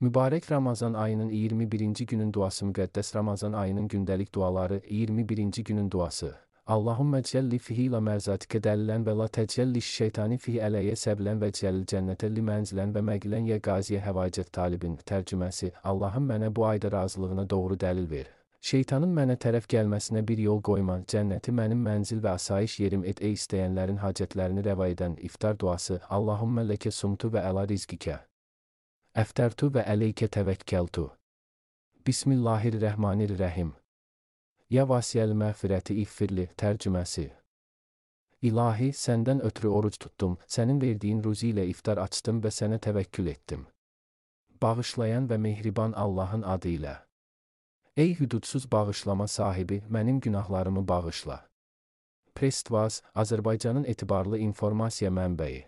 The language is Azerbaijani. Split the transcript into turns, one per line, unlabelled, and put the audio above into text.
Mübarək Ramazan ayının 21-ci günün duası. Müqəddəs Ramazan ayının gündəlik duaları. 21-ci günün duası. Allahümme celli fihi la merzatikə dəlilən və la təcəlli şeytani fihi ələyyə səbilən və cəlil cənnətə li mənzilən və məqilən yə qaziyə həvaicət talibin. Tərcüməsi: Allahım mənə bu ayda razılığına doğru dəlil ver. Şeytanın mənə tərəf gəlməsinə bir yol qoyma. Cənnəti mənim mənzil və asayiş yerim et. Ey istəyənlərin hacətlərini rəva edən. İftar duası. Allahümme ləkə sumtu və əla rizqikə əftərtu və əleykə təvəkkəltu. Bismillahirrahmanirrahim. Ya vasiyəl məğfirəti iğfirli. Tərcüməsi: İlahi, səndən ötürü oruc tuttum, sənin verdiyin ruzi ilə iftar açdım və sənə təvəkkül etdim. Bağışlayan və mehriban Allahın adı ilə. Ey hüdudsuz bağışlama sahibi, mənim günahlarımı bağışla. Prestvaz, Azərbaycanın etibarlı informasiya mənbəyi.